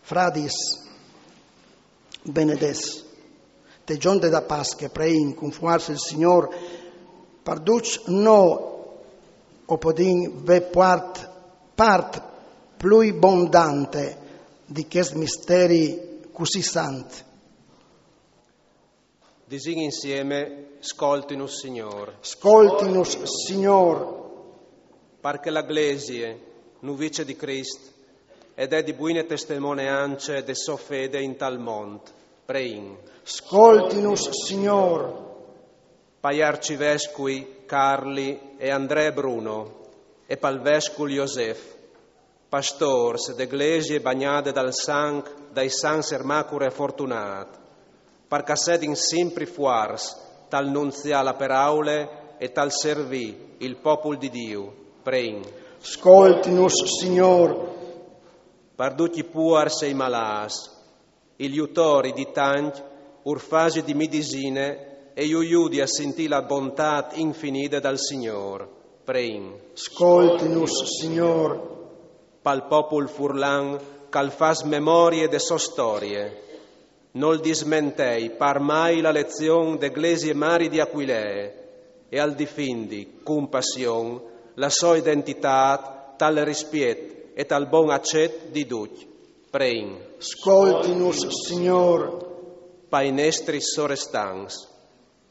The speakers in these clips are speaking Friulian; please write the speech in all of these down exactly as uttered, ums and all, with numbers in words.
Fradis, benedets, te gjonde da Pasche preìn cun fuarce il Signôr, par ducj nô o podìn vê puart part plui bondante di chest misteri cussì sant. Disìn insieme: Scoltinus, Signôr. Scoltinus, Signôr. Par che la Glesie, nuvice di Crist, e dè di buine testemoneance de sô fede in tal mont, preìn. Scoltinus, Signôr. Pai arcivescui Carli e André Bruno e pal vescul Josef, pastôrs de Glesie bagnade dal sanc dai sants Ermacure e Fortunât, par ch'a sedin simpri fuarts tal nunziâ la peraule e tal servî il popul di Diu, preìn. Scoltinus, Signôr. Par ducj i puars e i malâts, il jutori di tancj ur fasi di midisine e ju judi a sintî la bontât infinide dal Signôr, preìn. Scoltinus, Signôr. Pal popul furlan ch'al fâs memorie de sô storie, nol dismentei par mai la lezion de Glesie Mari di Aquilee e al difindi cun passion la sô identitât tal rispiet e tal bon acet di ducj, preìn. Scoltinus, Signôr. Pai nestris sorestants,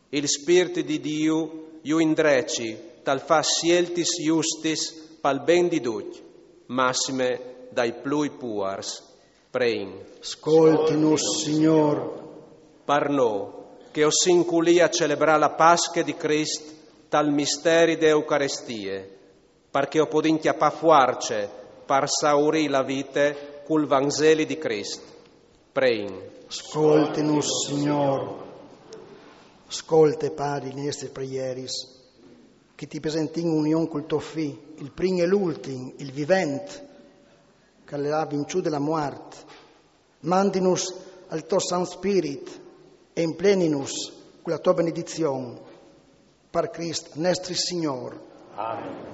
il Spirt di Diu ju indreci tal fâ sieltis justis pal ben di ducj, massime dai plui puars, preìn. Scoltinus, Signôr. Par nô, che o sin culì a celebrâ la Pasche di Crist tal misteri de Eucarestie, par che o podìn cjapâ fuarce par saurî la vite cul Vanzeli di Crist, preìn. Scoltinus, Signôr. Scolte, Pari, i nestris preieris, che ti presentìn in union cul to Fi, il prin e l'ultin, il vivent, ch'al à vinçût la muart. Mandinus al to Sant Spirit e impleninus cu la to benedizion. Par Crist nestri Signôr. Amen.